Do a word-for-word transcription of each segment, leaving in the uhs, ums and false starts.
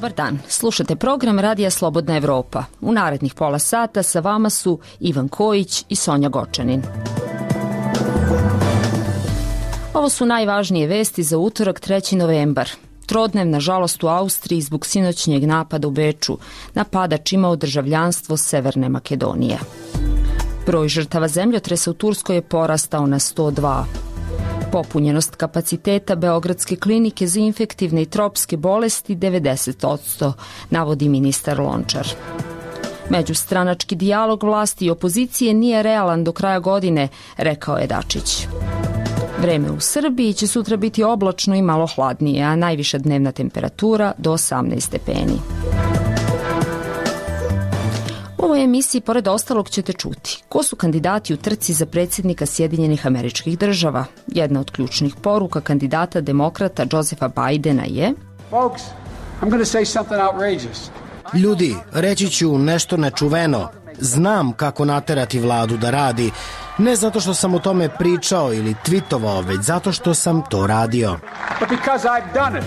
Dobar dan, slušate program Radija Slobodna Evropa. U narednih pola sata sa vama su Ivan Kojić i Sonja Gočanin. Ovo su najvažnije vesti za utorak treći novembar. Trodnevna žalost u Austriji zbog sinoćnjeg napada u Beču. Napadač imao državljanstvo Severne Makedonije. Broj žrtava zemljotresa u Turskoj je porastao na sto dva. Popunjenost kapaciteta Beogradske klinike za infektivne i tropske bolesti devedeset posto, navodi ministar Lončar. Međustranački dijalog vlasti i opozicije nije realan do kraja godine, rekao je Dačić. Vreme u Srbiji će sutra biti oblačno i malo hladnije, a najviša dnevna temperatura do osamnaest stepeni. U ovoj emisiji, pored ostalog, ćete čuti ko su kandidati u trci za predsjednika Sjedinjenih Američkih Država. Jedna od ključnih poruka kandidata demokrata Josefa Bidena je: Folks, I'm going to say something outrageous. Ljudi, reći ću nešto nečuveno. Znam kako naterati vladu da radi, ne zato što sam o tome pričao ili twitovao, već zato što sam to radio. But because I've done it.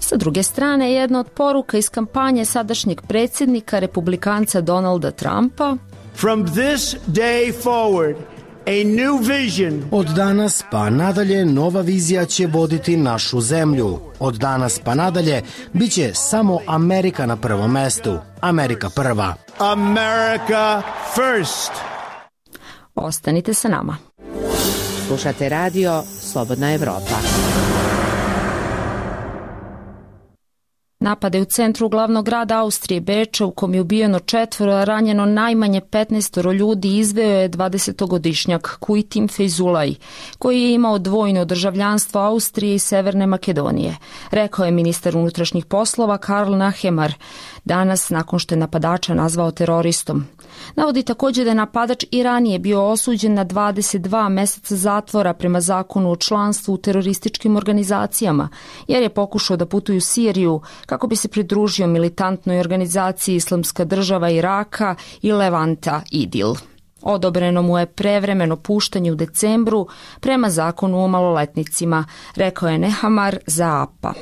Sa druge strane, jedna od poruka iz kampanje sadašnjeg predsjednika republikanca Donalda Trumpa: From this day forward, a new vision. Od danas pa nadalje nova vizija će voditi našu zemlju. Od danas pa nadalje biće samo Amerika na prvom mestu. Amerika prva. America first. Ostanite sa nama. Slušate radio Slobodna Evropa. Napade u centru glavnog grada Austrije, Beča, u kom je ubijeno četvoro, a ranjeno najmanje petnaestoro ljudi, izveo je dvadesetogodišnjak Kujtim Fejzulaj, koji je imao dvojno državljanstvo Austrije i Severne Makedonije, rekao je ministar unutrašnjih poslova Karl Nehammer danas nakon što je napadača nazvao teroristom. Navodi također da je napadač i ranije bio osuđen na dvadeset dva meseca zatvora prema zakonu o članstvu u terorističkim organizacijama, jer je pokušao da putuje u Siriju kako bi se pridružio militantnoj organizaciji Islamska država Iraka i Levanta Idil. Odobreno mu je prevremeno puštanje u decembru prema zakonu o maloletnicima, rekao je Nehammer za A P A.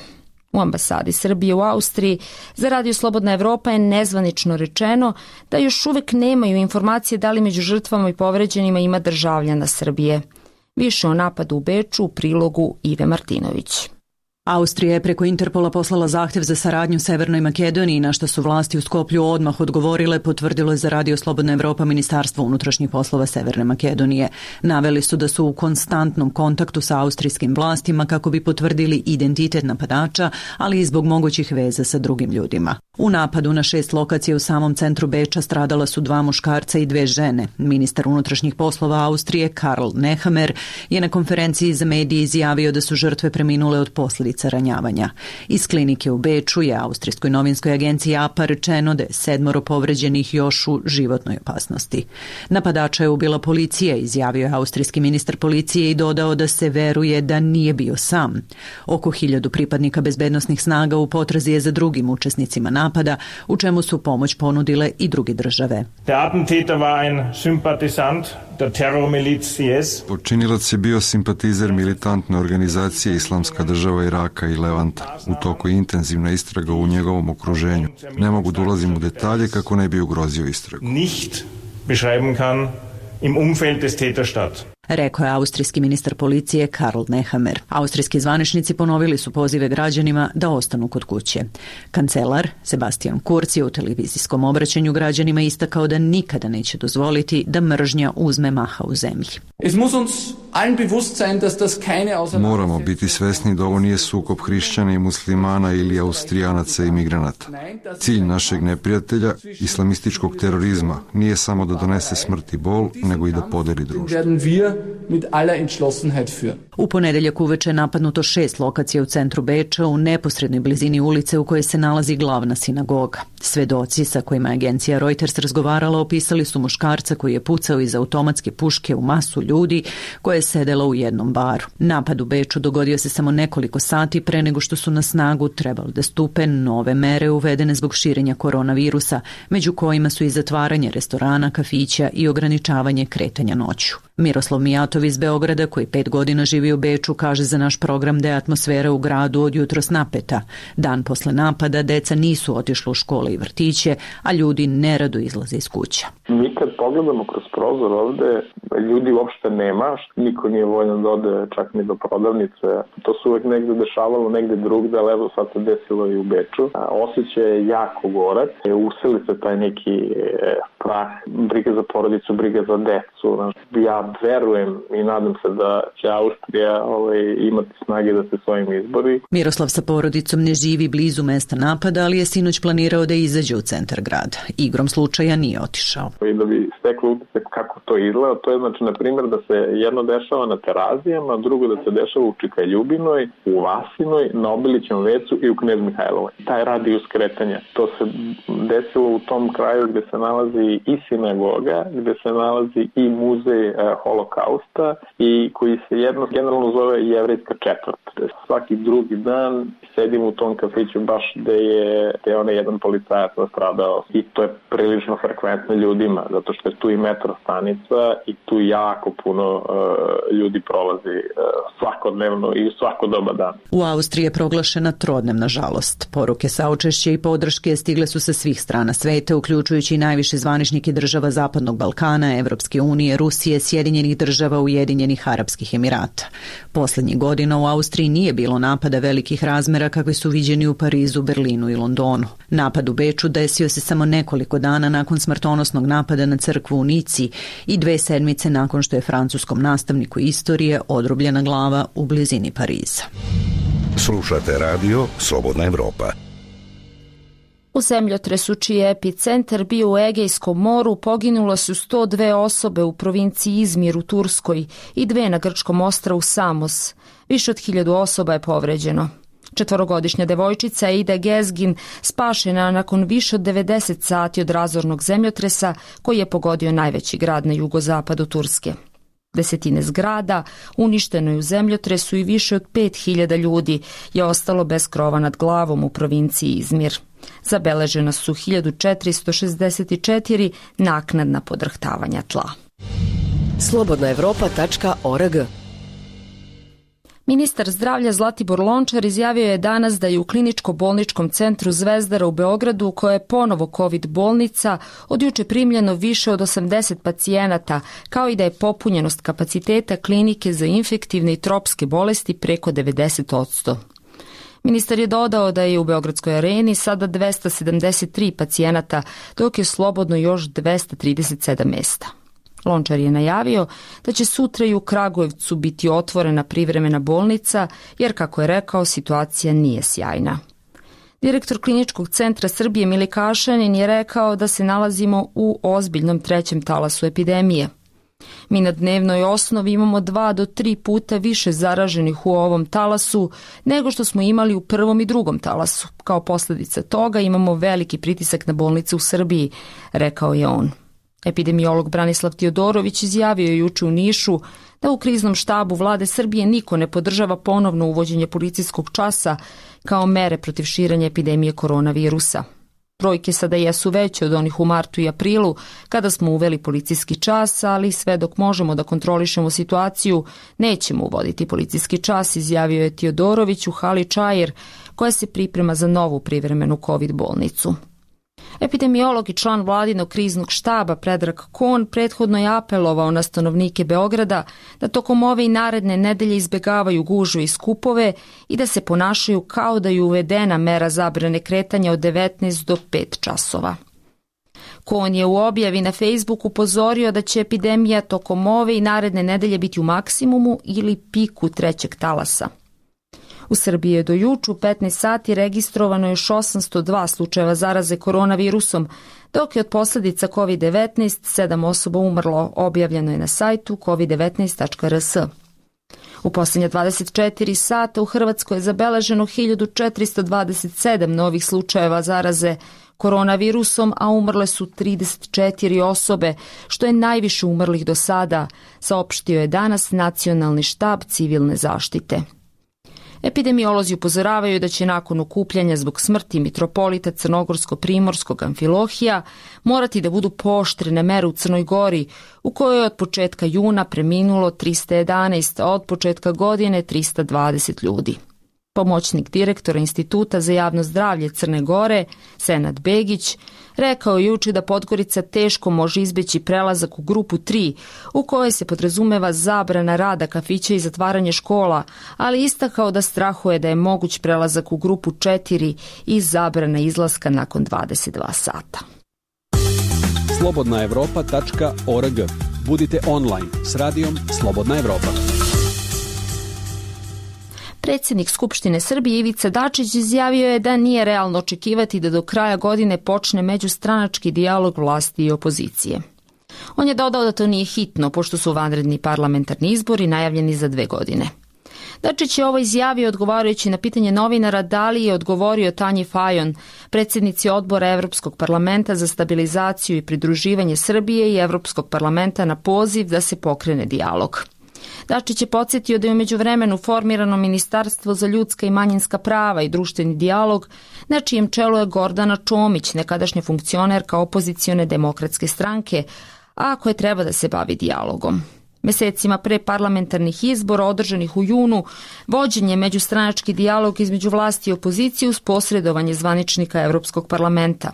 U ambasadi Srbije u Austriji za Radio Slobodna Evropa je nezvanično rečeno da još uvek nemaju informacije da li među žrtvama i povređenima ima državljana Srbije. Više o napadu u Beču u prilogu Ive Martinović. Austrija je preko Interpola poslala zahtjev za saradnju Severnoj Makedoniji, na što su vlasti u Skoplju odmah odgovorile, potvrdilo je za Radio Slobodna Evropa Ministarstvo unutrašnjih poslova Severne Makedonije. Naveli su da su u konstantnom kontaktu sa austrijskim vlastima kako bi potvrdili identitet napadača, ali i zbog mogućih veza sa drugim ljudima. U napadu na šest lokacija u samom centru Beča stradala su dva muškarca i dve žene. Ministar unutrašnjih poslova Austrije Karl Nehammer je na konferenciji za medije izjavio da su žrtve preminule od posljedica ranjavanja. Iz klinike u Beču je austrijskoj novinskoj agenciji A P A rečeno da je sedmoro povređenih još u životnoj opasnosti. Napadača je ubila policija, izjavio je austrijski ministar policije i dodao da se veruje da nije bio sam. Oko hiljadu pripadnika bezbednosnih snaga u potrazi je za drugim učesnicima napada, u čemu su pomoć ponudile i druge države. Der Attentäter war ein Sympathisant der Terrormiliz C S. Počinilac je bio simpatizer militantne organizacije Islamska država Iraka i Levanta. U toku je intenzivna istraga u njegovom okruženju. Ne mogu da ulazim u detalje kako ne bi ugrozio istragu. Nicht beschreiben kann im Umfeld des Täterstadt. Rekao je austrijski ministar policije Karl Nehammer. Austrijski zvaničnici ponovili su pozive građanima da ostanu kod kuće. Kancelar Sebastian Kurz je u televizijskom obraćanju građanima istakao da nikada neće dozvoliti da mržnja uzme maha u zemlji. Moramo biti svesni da ovo nije sukob hrišćana i muslimana ili Austrijanaca i migranata. Cilj našeg neprijatelja, islamističkog terorizma, nije samo da donese smrt i bol, nego i da podeli društvo. U ponedeljak uveče je napadnuto šest lokacija u centru Beča u neposrednoj blizini ulice u kojoj se nalazi glavna sinagoga. Svedoci sa kojima je agencija Reuters razgovarala opisali su muškarca koji je pucao iz automatske puške u masu ljudi koje je sedela u jednom baru. Napad u Beču dogodio se samo nekoliko sati pre nego što su na snagu trebali da stupe nove mere uvedene zbog širenja koronavirusa, među kojima su i zatvaranje restorana, kafića i ograničavanje kretanja noću. Miroslav Mijatov iz Beograda, koji pet godina živi u Beču, kaže za naš program da je atmosfera u gradu od jutros napeta. Dan posle napada deca nisu otišla u škole i vrtiće, a ljudi nerado izlaze iz kuća. Mi kad pogledamo kroz prozor ovde, ljudi uopšte nema, niko nije voljan da ode čak ni do prodavnice. To se uvek negde dešavalo, negde drugde, ali evo sad se desilo i u Beču. Osjećaj je jako gorak, useli se taj neki strah, briga za porodicu, briga za decu. Ja verujem i nadam se da će Austrija ovaj, imati snage da se svojim izbori. Miroslav sa porodicom ne živi blizu mesta napada, ali je sinoć planirao da izađe u centar grada. Igrom slučaja nije otišao. I da bi steklo utisak kako to izgleda, to je znači, na primjer, da se jedno dešava na Terazijama, drugo da se dešava u Čikaljubinoj, u Vasinoj, na Obilićevom vecu i u Knez Mihajlovoj. Taj radijus kretanja. To se desilo u tom kraju gde se nalazi i sinagoga, gde se nalazi i muzej e, holokausta i koji se jedno generalno zove jevrejska četvrt. Svaki drugi dan sedim u tom kafiću baš gde je, gde je onaj jedan policajac nastradao i to je prilično frekventno ljudima, zato što je tu i metro stanica i tu jako puno uh, ljudi prolazi uh, svakodnevno i u svako doba dan. U Austriji je proglašena trodnevna žalost. Poruke saučešća i podrške stigle su sa svih strana sveta, uključujući i najviše zvaničnike država Zapadnog Balkana, Evropske unije, Rusije, Sjedinjenih država, Ujedinjenih Arapskih Emirata. Poslednjih godina u Austriji nije bilo napada velikih razmera kakvi su viđeni u Parizu, Berlinu i Londonu. Napad u Beču desio se samo nekoliko dana nakon smrtonosnog napada na crkvu u Nici i dve sedmice nakon što je francuskom nastavniku istorije odrubljena glava u blizini Pariza. Slušate radio Slobodna Evropa. U zemljotresu čiji je epicentar bio u Egejskom moru poginulo su sto dve osobe u provinciji Izmir u Turskoj i dve na grčkom ostrvu Samos. Više od hiljadu osoba je povređeno. Četvorogodišnja devojčica Ida Gezgin spašena nakon više od devedeset sati od razornog zemljotresa koji je pogodio najveći grad na jugozapadu Turske. Desetine zgrada uništeno je u zemljotresu i više od pet hiljada ljudi je ostalo bez krova nad glavom u provinciji Izmir. Zabeležena su hiljadu četiristo šezdeset četiri naknadna podrhtavanja tla. slobodna evropa tačka org. Ministar zdravlja Zlatibor Lončar izjavio je danas da je u kliničko-bolničkom centru Zvezdara u Beogradu, koja je ponovo COVID bolnica, od juče primljeno više od osamdeset pacijenata, kao i da je popunjenost kapaciteta klinike za infektivne i tropske bolesti preko devedeset posto. Ministar je dodao da je u Beogradskoj areni sada dvesta sedamdeset tri pacijenata, dok je slobodno još dvesta trideset sedam mesta. Lončar je najavio da će sutra i u Kragujevcu biti otvorena privremena bolnica, jer, kako je rekao, situacija nije sjajna. Direktor Kliničkog centra Srbije Milikašanin je rekao da se nalazimo u ozbiljnom trećem talasu epidemije. Mi na dnevnoj osnovi imamo dva do tri puta više zaraženih u ovom talasu nego što smo imali u prvom i drugom talasu. Kao posljedica toga imamo veliki pritisak na bolnice u Srbiji, rekao je on. Epidemiolog Branislav Tiodorović izjavio je juče u Nišu da u kriznom štabu vlade Srbije niko ne podržava ponovno uvođenje policijskog časa kao mere protiv širenja epidemije koronavirusa. Brojke sada jesu veće od onih u martu i aprilu, kada smo uveli policijski čas, ali sve dok možemo da kontrolišemo situaciju, nećemo uvoditi policijski čas, izjavio je Tiodorović u hali Čajer, koja se priprema za novu privremenu COVID bolnicu. Epidemiolog i član vladinog kriznog štaba Predrag Kon prethodno je apelovao na stanovnike Beograda da tokom ove i naredne nedelje izbegavaju gužve i skupove i da se ponašaju kao da je uvedena mera zabrane kretanja od devetnaest do pet časova. Kon je u objavi na Facebooku upozorio da će epidemija tokom ove i naredne nedelje biti u maksimumu ili piku trećeg talasa. U Srbiji je do juče u petnaest sati registrovano još osamsto dva slučajeva zaraze koronavirusom, dok je od posljedica kovid devetnaest sedam osoba umrlo, objavljeno je na sajtu covid devetnaest tačka r s. U posljednje dvadeset četiri sata u Hrvatskoj je zabeleženo hiljadu četiristo dvadeset sedam novih slučajeva zaraze koronavirusom, a umrle su trideset četiri osobe, što je najviše umrlih do sada, saopštio je danas Nacionalni štab civilne zaštite. Epidemiolozi upozoravaju da će nakon okupljanja zbog smrti mitropolita crnogorsko-primorskog Amfilohija morati da budu pooštrene mere u Crnoj Gori, u kojoj je od početka juna preminulo trista jedanaest, a od početka godine trista dvadeset ljudi. Pomoćnik direktora Instituta za javno zdravlje Crne Gore, Senad Begić, rekao je juče da Podgorica teško može izbeći prelazak u grupu tri, u kojoj se podrazumeva zabrana rada kafića i zatvaranje škola, ali istakao da strahuje da je moguć prelazak u grupu četiri i zabrana izlaska nakon dvadeset dva sata. slobodna evropa tačka org. Budite online s radijom Slobodna Evropa. Predsjednik Skupštine Srbije Ivica Dačić izjavio je da nije realno očekivati da do kraja godine počne međustranački dijalog vlasti i opozicije. On je dodao da to nije hitno, pošto su vanredni parlamentarni izbori najavljeni za dve godine. Dačić je ovo izjavio odgovarajući na pitanje novinara da li je odgovorio Tanji Fajon, predsjednici odbora Evropskog parlamenta za stabilizaciju i pridruživanje Srbije i Evropskog parlamenta na poziv da se pokrene dijalog. Dačić je podsjetio da je u međuvremenu formirano Ministarstvo za ljudska i manjinska prava i društveni dijalog, na čijem čelu je Gordana Čomić, nekadašnja funkcionerka opozicione demokratske stranke, a koja treba da se bavi dijalogom. Mesecima pre parlamentarnih izbora održanih u junu, vođen je međustranački dijalog između vlasti i opozicije uz posredovanje zvaničnika Evropskog parlamenta.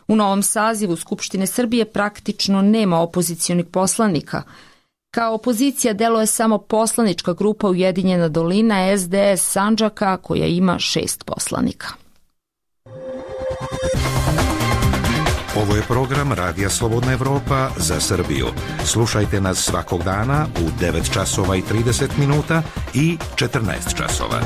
U novom sazivu Skupštine Srbije praktično nema opozicionih poslanika. Kao opozicija deluje samo poslanička grupa Ujedinjena dolina S D S Sandžaka, koja ima šest poslanika. Ovo je program Radija Slobodna Evropa za Srbiju. Slušajte nas svakog dana u devet časova i trideset minuta i četrnaest časova.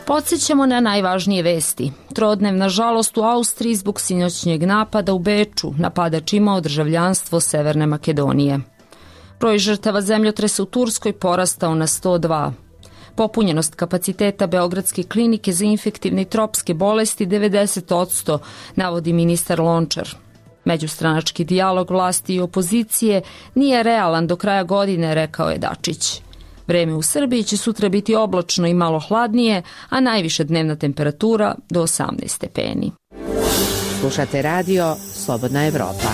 Podsjećamo na najvažnije vesti. Trodnevna žalost u Austriji zbog sinoćnjeg napada u Beču. Napadač imao državljanstvo Severne Makedonije. Broj žrtava zemljotresa u Turskoj porastao na sto dva. Popunjenost kapaciteta Beogradske klinike za infektivne i tropske bolesti devedeset posto, navodi ministar Lončar. Međustranački dijalog vlasti i opozicije nije realan do kraja godine, rekao je Dačić. Vreme u Srbiji će sutra biti oblačno i malo hladnije, a najviša dnevna temperatura do osamnaest stepeni. Slušate radio Slobodna Evropa.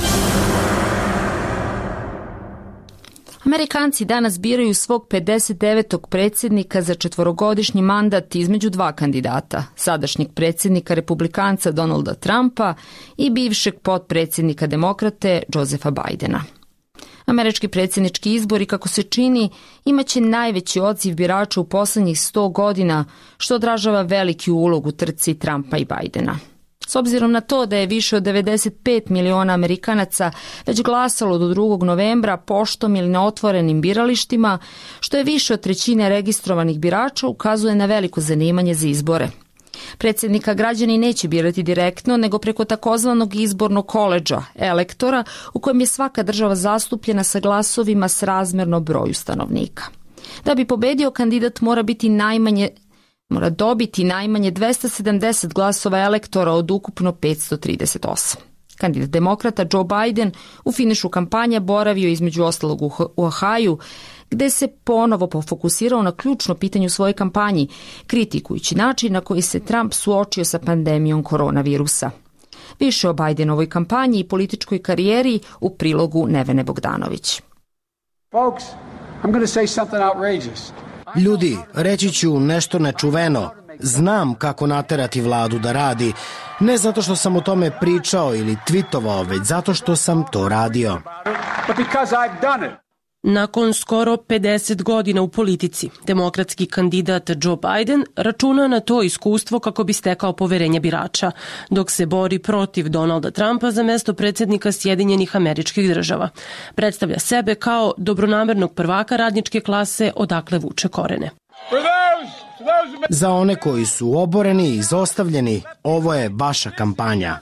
Amerikanci danas biraju svog pedeset devetog predsjednika za četvorogodišnji mandat između dva kandidata, sadašnjeg predsjednika republikanca Donalda Trumpa i bivšeg potpredsjednika demokrate Josefa Bajdena. Američki predsjednički izbori, kako se čini, imaće najveći odziv birača u poslednjih sto godina, što odražava veliki ulog u trci Trumpa i Bajdena. S obzirom na to da je više od devedeset pet miliona Amerikanaca već glasalo do drugog novembra poštom ili na otvorenim biralištima, što je više od trećine registrovanih birača, ukazuje na veliko zanimanje za izbore. Predsjednika građani neće birati direktno, nego preko takozvanog izbornog koledža, elektora, u kojem je svaka država zastupljena sa glasovima srazmerno broju stanovnika. Da bi pobedio, kandidat mora biti najmanje mora dobiti najmanje dvesta sedamdeset glasova elektora od ukupno petsto trideset osam. Kandidat demokrata Joe Biden u finišu kampanje boravio između ostalog u Ohaju, gde se ponovo pofokusirao na ključno pitanje u svojoj kampanji, kritikujući način na koji se Trump suočio sa pandemijom koronavirusa. Više o Bidenovoj kampanji i političkoj karijeri u prilogu Nevene Bogdanović. Folks, I'm going to say something outrageous. Ljudi, reći ću nešto nečuveno. Znam kako naterati vladu da radi, ne zato što sam o tome pričao ili tvitovao, već zato što sam to radio. But because I've done it. Nakon skoro pedeset godina u politici, demokratski kandidat Joe Biden računa na to iskustvo kako bi stekao poverenje birača, dok se bori protiv Donalda Trumpa za mesto predsjednika Sjedinjenih Američkih Država. Predstavlja sebe kao dobronamernog prvaka radničke klase odakle vuče korene. Za one koji su oboreni i izostavljeni, ovo je vaša kampanja.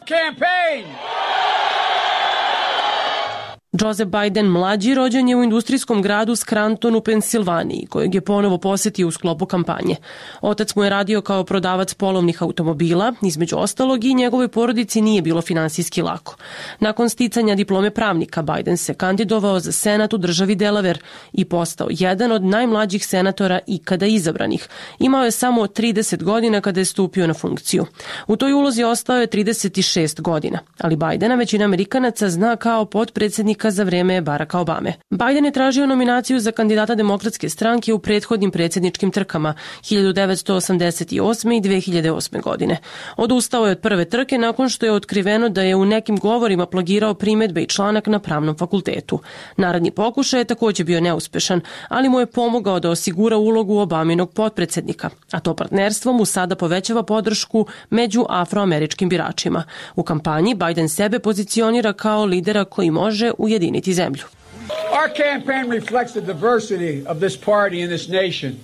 Joseph Biden mlađi rođen je u industrijskom gradu Scranton u Pensilvaniji, kojeg je ponovo posetio u sklopu kampanje. Otac mu je radio kao prodavac polovnih automobila, između ostalog i njegovoj porodici nije bilo finansijski lako. Nakon sticanja diplome pravnika, Biden se kandidovao za senat u državi Delaware i postao jedan od najmlađih senatora ikada izabranih. Imao je samo trideset godina kada je stupio na funkciju. U toj ulozi ostao je trideset šest godina, ali Bidena većina Amerikanaca zna kao potpredsjednik za vreme Baracka Obame. Biden je tražio nominaciju za kandidata Demokratske stranke u prethodnim predsjedničkim trkama hiljadu devetsto osamdeset osme i dve hiljade osme. godine. Odustao je od prve trke nakon što je otkriveno da je u nekim govorima plagirao primedbe i članak na pravnom fakultetu. Naredni pokušaj je također bio neuspešan, ali mu je pomogao da osigura ulogu Obaminog potpredsjednika, a to partnerstvo mu sada povećava podršku među afroameričkim biračima. U kampanji Biden sebe pozicionira kao lidera koji može ujediniti zemlju.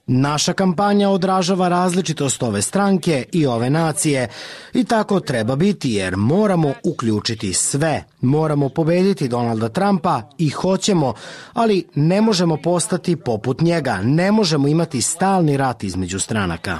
Naša kampanja odražava različitost ove stranke i ove nacije i tako treba biti jer moramo uključiti sve. Moramo pobediti Donalda Trumpa i hoćemo, ali ne možemo postati poput njega. Ne možemo imati stalni rat između stranaka.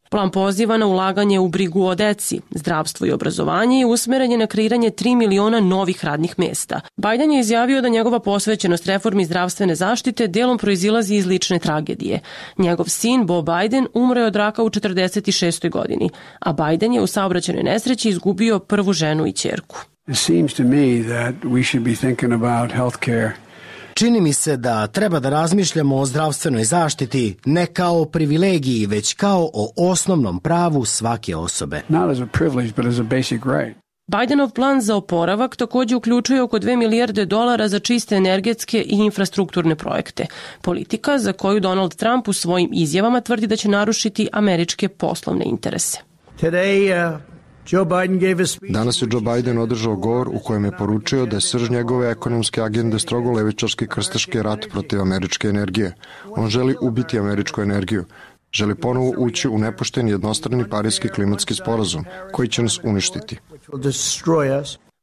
Plan poziva na ulaganje u brigu o deci, zdravstvo i obrazovanje i usmeren je na kreiranje tri miliona novih radnih mesta. Biden je izjavio da njegova posvećenost reformi zdravstvene zaštite delom proizilazi iz lične tragedije. Njegov sin, Bo Biden, umro je od raka u četrdeset šestoj godini, a Biden je u saobraćajnoj nesreći izgubio prvu ženu i ćerku. It seems to me that we should be thinking about healthcare. Čini mi se da treba da razmišljamo o zdravstvenoj zaštiti ne kao o privilegiji, već kao o osnovnom pravu svake osobe. Not as a privilege, but as a basic right. Bidenov plan za oporavak također uključuje oko dve milijarde dolara za čiste energetske i infrastrukturne projekte. Politika za koju Donald Trump u svojim izjavama tvrdi da će narušiti američke poslovne interese. Today, uh... Danas je Joe Biden održao govor u kojem je poručio da je srž njegove ekonomske agende strogo levičarski krstaški rat protiv američke energije. On želi ubiti američku energiju. Želi ponovo ući u nepošten jednostrani parijski klimatski sporazum koji će nas uništiti.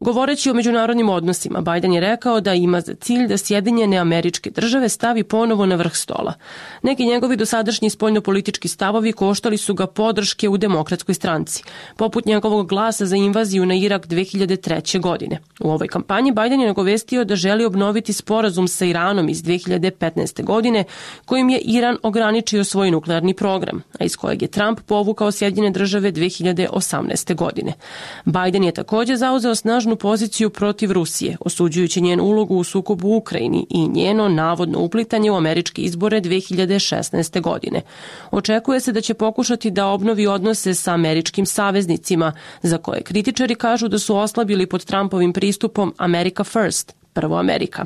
Govoreći o međunarodnim odnosima, Biden je rekao da ima za cilj da Sjedinjene Američke Države stavi ponovo na vrh stola. Neki njegovi dosadašnji spoljnopolitički stavovi koštali su ga podrške u Demokratskoj stranci, poput njegovog glasa za invaziju na Irak dve hiljade treće. godine. U ovoj kampanji Biden je nagovestio da želi obnoviti sporazum sa Iranom iz dve hiljade petnaeste. godine, kojim je Iran ograničio svoj nuklearni program, a iz kojeg je Trump povukao Sjedinjene Države dve hiljade osamnaeste. godine. Biden je također zauzeo snažnu poziciju protiv Rusije, osuđujući njenu ulogu u sukobu u Ukrajini i njeno navodno uplitanje u američke izbore dve hiljade šesnaeste. godine. Očekuje se da će pokušati da obnovi odnose sa američkim saveznicima, za koje kritičari kažu da su oslabili pod Trumpovim pristupom America First. Prvo Amerika.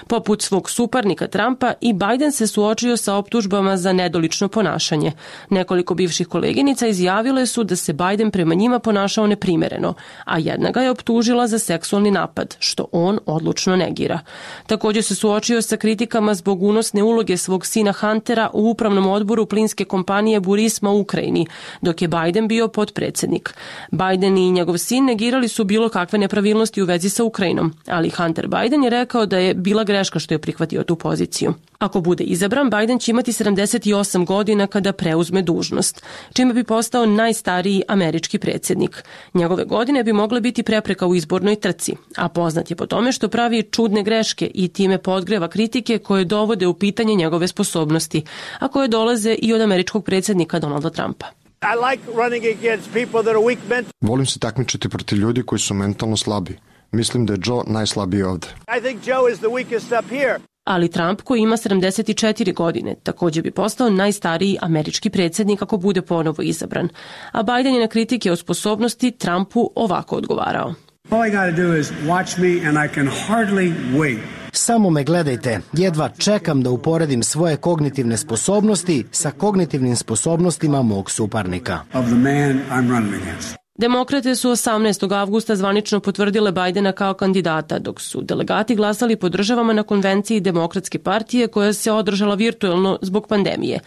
Poput svog suparnika Trumpa i Biden se suočio sa optužbama za nedolično ponašanje. Nekoliko bivših koleginica izjavile su da se Biden prema njima ponašao neprimereno, a jedna ga je optužila za seksualni napad, što on odlučno negira. Također se suočio sa kritikama zbog unosne uloge svog sina Huntera u upravnom odboru plinske kompanije Burisma u Ukrajini, dok je Biden bio potpredsjednik. Biden i njegov sin negirali su bilo kakve nepravilnosti u vezi sa Ukrajinom, ali Hunter Biden Biden je rekao da je bila greška što je prihvatio tu poziciju. Ako bude izabran, Biden će imati sedamdeset osam godina kada preuzme dužnost, čime bi postao najstariji američki predsjednik. Njegove godine bi mogle biti prepreka u izbornoj trci, a poznat je po tome što pravi čudne greške i time podgreva kritike koje dovode u pitanje njegove sposobnosti, a koje dolaze i od američkog predsjednika Donalda Trumpa. Volim se takmičiti protiv ljudi koji su mentalno slabi. Mislim da je Joe najslabiji ovde. Ali Trump, koji ima sedamdeset četiri godine, također bi postao najstariji američki predsjednik ako bude ponovo izabran. A Biden je na kritike o sposobnosti Trumpu ovako odgovarao. Samo me gledajte, jedva čekam da uporedim svoje kognitivne sposobnosti sa kognitivnim sposobnostima mog suparnika. Demokrate su osamnaestog avgusta zvanično potvrdile Bajdena kao kandidata, dok su delegati glasali po državama na konvenciji Demokratske partije koja se održala virtuelno zbog pandemije.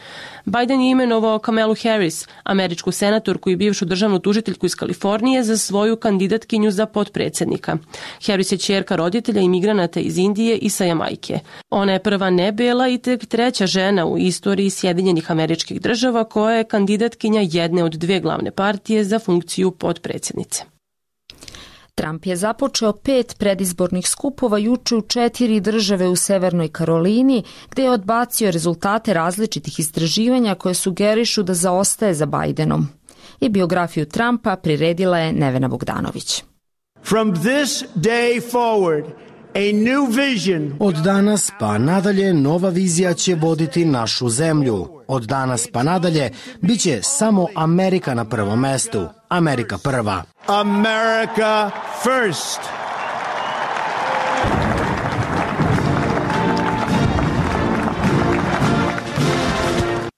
Bajden je imenovao Kamalu Harris, američku senatorku i bivšu državnu tužiteljku iz Kalifornije, za svoju kandidatkinju za potpredsjednika. Harris je ćerka roditelja imigranata iz Indije i sa Jamajke. Ona je prva nebela i tek treća žena u istoriji Sjedinjenih Američkih Država koja je kandidatkinja jedne od dve glavne partije za funkciju potpredsjednice. Trump je započeo pet predizbornih skupova juče u četiri države u Severnoj Karolini, gde je odbacio rezultate različitih istraživanja koje sugerišu da zaostaje za Bajdenom. I biografiju Trumpa priredila je Nevena Bogdanović. From this day forward, a new vision. Od danas pa nadalje nova vizija će voditi našu zemlju. Od danas pa nadalje biće samo Amerika na prvom mestu. Amerika prva. America first.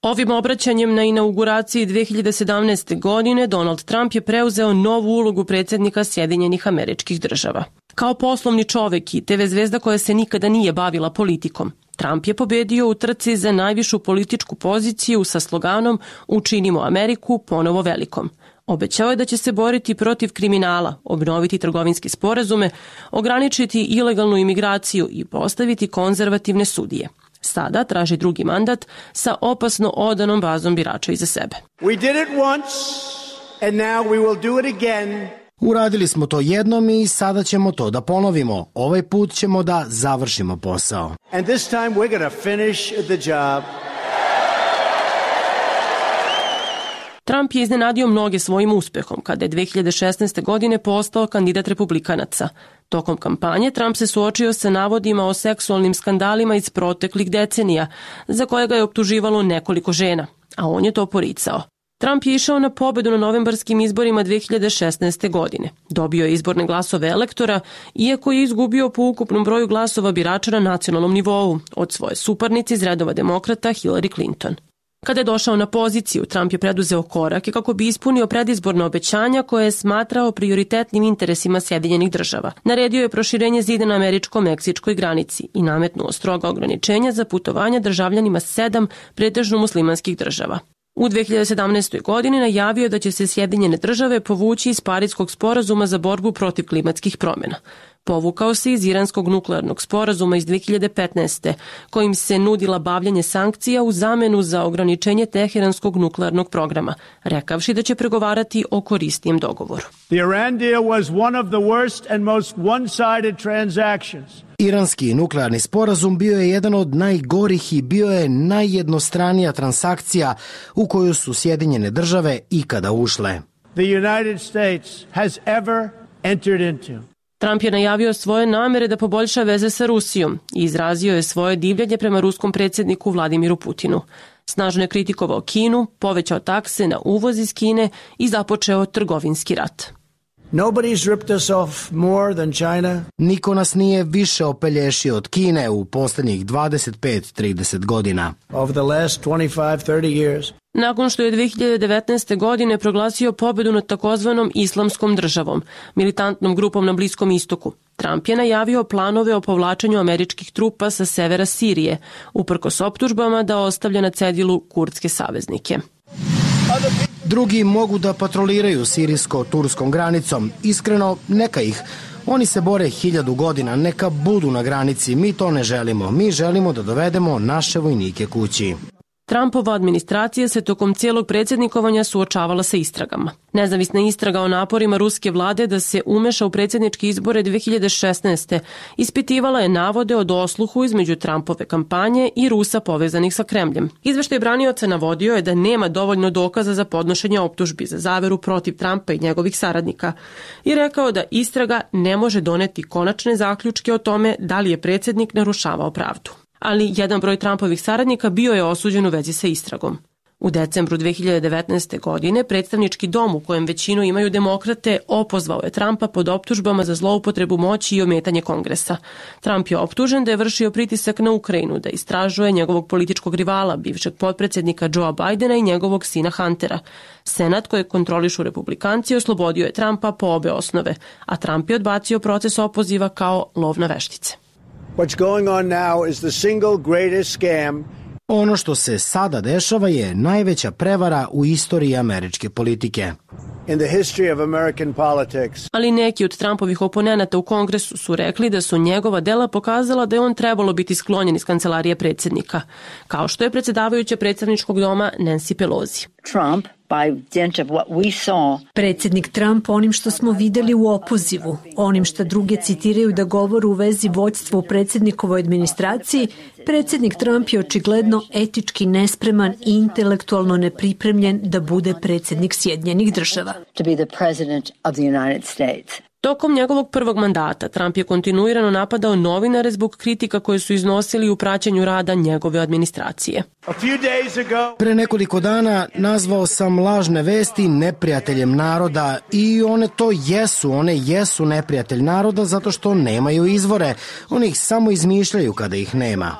Ovim obraćanjem na inauguraciji dve hiljade sedamnaeste. godine Donald Trump je preuzeo novu ulogu predsjednika Sjedinjenih Američkih Država. Kao poslovni čovek i te ve zvezda koja se nikada nije bavila politikom, Trump je pobedio u trci za najvišu političku poziciju sa sloganom "Učinimo Ameriku ponovo velikom". Obećao je da će se boriti protiv kriminala, obnoviti trgovinske sporazume, ograničiti ilegalnu imigraciju i postaviti konzervativne sudije. Sada traži drugi mandat sa opasno odanom bazom birača iza sebe. We did it once and now we will do it again. Uradili smo to jednom i sada ćemo to da ponovimo. Ovaj put ćemo da završimo posao. And this time we're going to finish the job. Trump je iznenadio mnoge svojim uspehom kada je dve hiljade šesnaeste. godine postao kandidat republikanaca. Tokom kampanje Trump se suočio sa navodima o seksualnim skandalima iz proteklih decenija, za koje ga je optuživalo nekoliko žena, a on je to poricao. Trump je išao na pobedu na novembarskim izborima dve hiljade šesnaeste. godine. Dobio je izborne glasove elektora, iako je izgubio po ukupnom broju glasova birača na nacionalnom nivou od svoje suparnice iz redova demokrata Hillary Clinton. Kada je došao na poziciju, Trump je preduzeo korake kako bi ispunio predizborna obećanja koje je smatrao prioritetnim interesima Sjedinjenih Država. Naredio je proširenje zida na američko-meksičkoj granici i nametnuo stroga ograničenja za putovanja državljanima sedam pretežno muslimanskih država. U dve hiljade sedamnaestoj. godini najavio da će se Sjedinjene Države povući iz Parijskog sporazuma za borbu protiv klimatskih promjena. Povukao se iz Iranskog nuklearnog sporazuma iz dve hiljade petnaeste. kojim se nudila bavljanje sankcija u zamenu za ograničenje Teheranskog nuklearnog programa, rekavši da će pregovarati o korisnijem dogovoru. The Iran deal was one of the worst and most one-sided transactions. Iranski nuklearni sporazum bio je jedan od najgorih i bio je najjednostranija transakcija u koju su Sjedinjene Države ikada ušle. The United States has ever entered into. Trump je najavio svoje namere da poboljša veze sa Rusijom i izrazio je svoje divljenje prema ruskom predsjedniku Vladimiru Putinu. Snažno je kritikovao Kinu, povećao takse na uvoz iz Kine i započeo trgovinski rat. Nobody's ripped us off more than China. Niko nas nije više opelješio od Kine u posljednjih dvadeset pet do trideset godina. Over the last twenty-five to thirty years. Nakon što je dve hiljade devetnaeste. godine proglasio pobedu nad takozvanom islamskom državom, militantnom grupom na Bliskom istoku, Trump je najavio planove o povlačenju američkih trupa sa severa Sirije, uprkos optužbama da ostavlja na cedilu kurdske saveznike. Drugi mogu da patroliraju sirijsko-turskom granicom. Iskreno, neka ih. Oni se bore hiljadu godina, neka budu na granici. Mi to ne želimo. Mi želimo da dovedemo naše vojnike kući. Trumpova administracija se tokom cijelog predsjednikovanja suočavala sa istragama. Nezavisna istraga o naporima ruske vlade da se umeša u predsjedničke izbore dve hiljade šesnaeste. ispitivala je navode o dosluhu između Trumpove kampanje i Rusa povezanih sa Kremljem. Izveštaj branioca navodio je da nema dovoljno dokaza za podnošenje optužbi za zaveru protiv Trumpa i njegovih saradnika i rekao da istraga ne može doneti konačne zaključke o tome da li je predsjednik narušavao pravdu. Ali jedan broj Trumpovih saradnika bio je osuđen u vezi sa istragom. U decembru dve hiljade devetnaeste. godine predstavnički dom u kojem većinu imaju demokrate opozvao je Trumpa pod optužbama za zloupotrebu moći i ometanje Kongresa. Trump je optužen da je vršio pritisak na Ukrajinu, da istražuje njegovog političkog rivala, bivšeg potpredsjednika Joea Bidena i njegovog sina Huntera. Senat koji kontrolišu republikanci oslobodio je Trumpa po obe osnove, a Trump je odbacio proces opoziva kao lov na veštice. What's going on now is the single greatest scam. Ono što se sada dešava je najveća prevara u istoriji američke politike. In the history of American politics. Ali neki od Trumpovih oponenata u Kongresu su rekli da su njegova dela pokazala da je on trebalo biti sklonjen iz kancelarije predsjednika, kao što je predsjedavajuća predstavničkog doma Nancy Pelosi. Trump, by dint of what we saw. Predsjednik Trump onim što smo videli u opozivu, onim što druge citiraju da govoru u vezi vođstva u predsjednikovoj administraciji, predsjednik Trump je očigledno etički nespreman i intelektualno nepripremljen da bude predsjednik Sjedinjenih Država. To be the president of the United States. Tokom njegovog prvog mandata Trump je kontinuirano napadao novinare zbog kritika koje su iznosili u praćenju rada njegove administracije. Pre nekoliko dana nazvao sam lažne vesti neprijateljem naroda i one to jesu, one jesu neprijatelj naroda zato što nemaju izvore. Oni ih samo izmišljaju kada ih nema.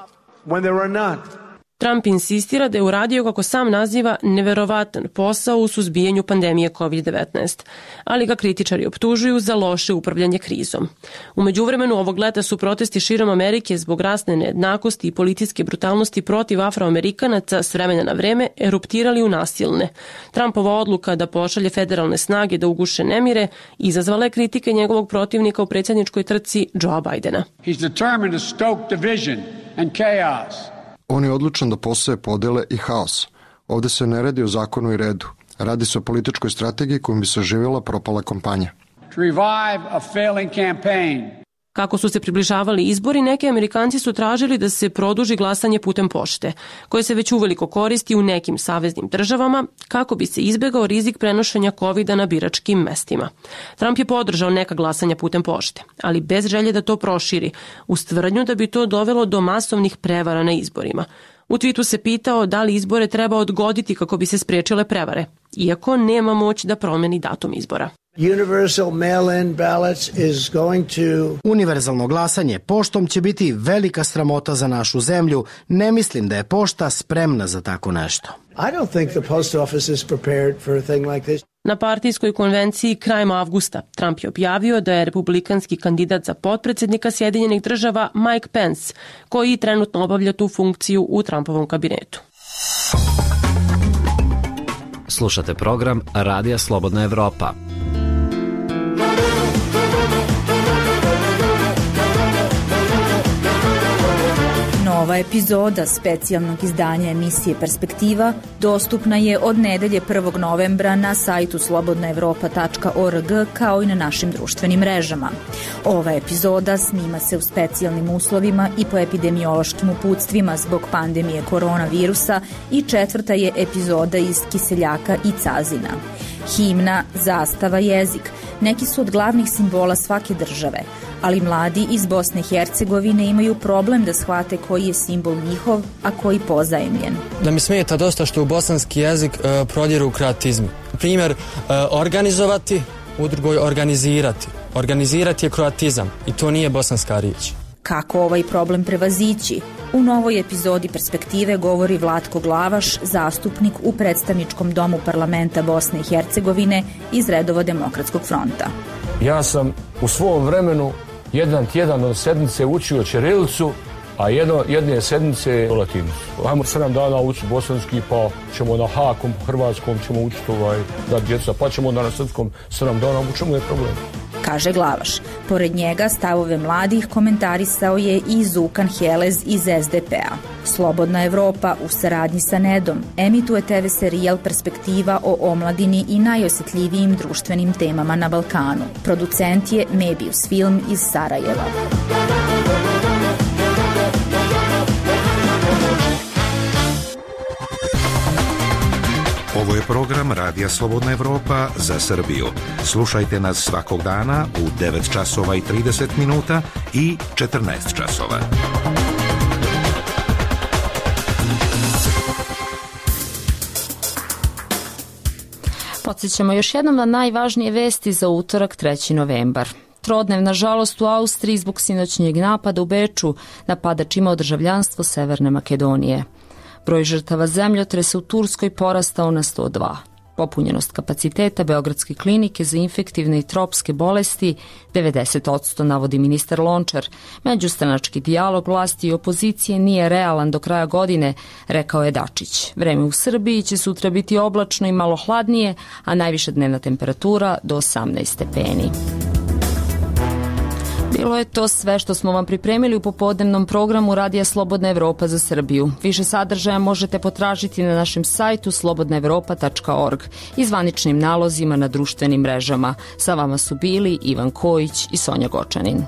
Trump insistira da je uradio, kako sam naziva, neverovatan posao u suzbijanju pandemije kovid devetnaest, ali ga kritičari optužuju za loše upravljanje krizom. U međuvremenu ovog leta su protesti širom Amerike zbog rasne nejednakosti i policijske brutalnosti protiv Afroamerikanaca s vremena na vreme eruptirali u nasilne. Trumpova odluka da pošalje federalne snage da uguše nemire izazvala je kritike njegovog protivnika u predsjedničkoj trci Joea Bidena. He's determined to stoke division and chaos. On je odlučan da poseje podele i haos. Ovde se ne radi o zakonu i redu. Radi se o političkoj strategiji kojom bi se oživjela propala kampanja. To revive a failing campaign. Kako su se približavali izbori, neki Amerikanci su tražili da se produži glasanje putem pošte, koje se već uveliko koristi u nekim saveznim državama, kako bi se izbegao rizik prenošenja kovida na biračkim mestima. Trump je podržao neka glasanja putem pošte, ali bez želje da to proširi, uz tvrdnju da bi to dovelo do masovnih prevara na izborima. U twitu se pitao da li izbore treba odgoditi kako bi se spriječile prevare, iako nema moć da promeni datum izbora. Universal mail-in ballots is going to... Univerzalno glasanje poštom će biti velika sramota za našu zemlju. Ne mislim da je pošta spremna za tako nešto. I don't think the post office is prepared for a thing like this. Na partijskoj konvenciji krajem avgusta Trump je objavio da je republikanski kandidat za potpredsjednika Sjedinjenih Država Mike Pence, koji trenutno obavlja tu funkciju u Trumpovom kabinetu. Slušate program Radija Slobodna Evropa. Nova epizoda specijalnog izdanja emisije Perspektiva dostupna je od nedelje prvog novembra na sajtu slobodna evropa tačka org kao i na našim društvenim mrežama. Ova epizoda snima se u specijalnim uslovima i po epidemiološkim uputstvima zbog pandemije koronavirusa i četvrta je epizoda iz Kiseljaka i Cazina. Himna, zastava, jezik neki su od glavnih simbola svake države, ali mladi iz Bosne i Hercegovine imaju problem da shvate koji je simbol njihov, a koji pozajemljen. Da mi smeta dosta što u bosanski jezik uh, prodjeru kroatizmi. Primjer, uh, organizovati, u drugoj organizirati. Organizirati je kroatizam i to nije bosanska riječ. Kako ovaj problem prevazići? U novoj epizodi Perspektive govori Vlatko Glavaš, zastupnik u predstavničkom domu parlamenta Bosne i Hercegovine iz redova Demokratskog fronta. Ja sam u svom vremenu jedan tjedan od sedmice učio ćirilicu, a jedno, jedne sedmice latinicu. Ajmo sedam dana učiti bosanski, pa ćemo na hakom, hrvatskom ćemo učiti ovaj, da djeca, pa ćemo onda na srpskom sedam dana, u čemu je problem? Kaže Glavaš. Pored njega stavove mladih komentarisao je i Zukan Helez iz es de pe a. Slobodna Evropa u saradnji sa Nedom emituje te ve serijal Perspektiva o omladini i najosjetljivijim društvenim temama na Balkanu. Producent je Mebius Film iz Sarajeva. Ovo je program Radija Slobodna Evropa za Srbiju. Slušajte nas svakog dana u devet časova i trideset minuta i četrnaest časova. Podsjećamo još jednom na najvažnije vesti za utorak treći novembar. Trodnevna žalost u Austriji zbog sinoćnjeg napada u Beču. Napadač imao državljanstvo Severne Makedonije. Broj žrtava zemljotresa u Turskoj porastao na sto dva. Popunjenost kapaciteta Beogradske klinike za infektivne i tropske bolesti devedeset posto, navodi ministar Lončar. Međustranački dijalog vlasti i opozicije nije realan do kraja godine, rekao je Dačić. Vreme u Srbiji će sutra biti oblačno i malo hladnije, a najviša dnevna temperatura do osamnaest stepeni. Bilo je to sve što smo vam pripremili u popodnevnom programu Radija Slobodna Evropa za Srbiju. Više sadržaja možete potražiti na našem sajtu slobodna evropa tačka org i zvaničnim nalozima na društvenim mrežama. Sa vama su bili Ivan Kojić i Sonja Gočanin.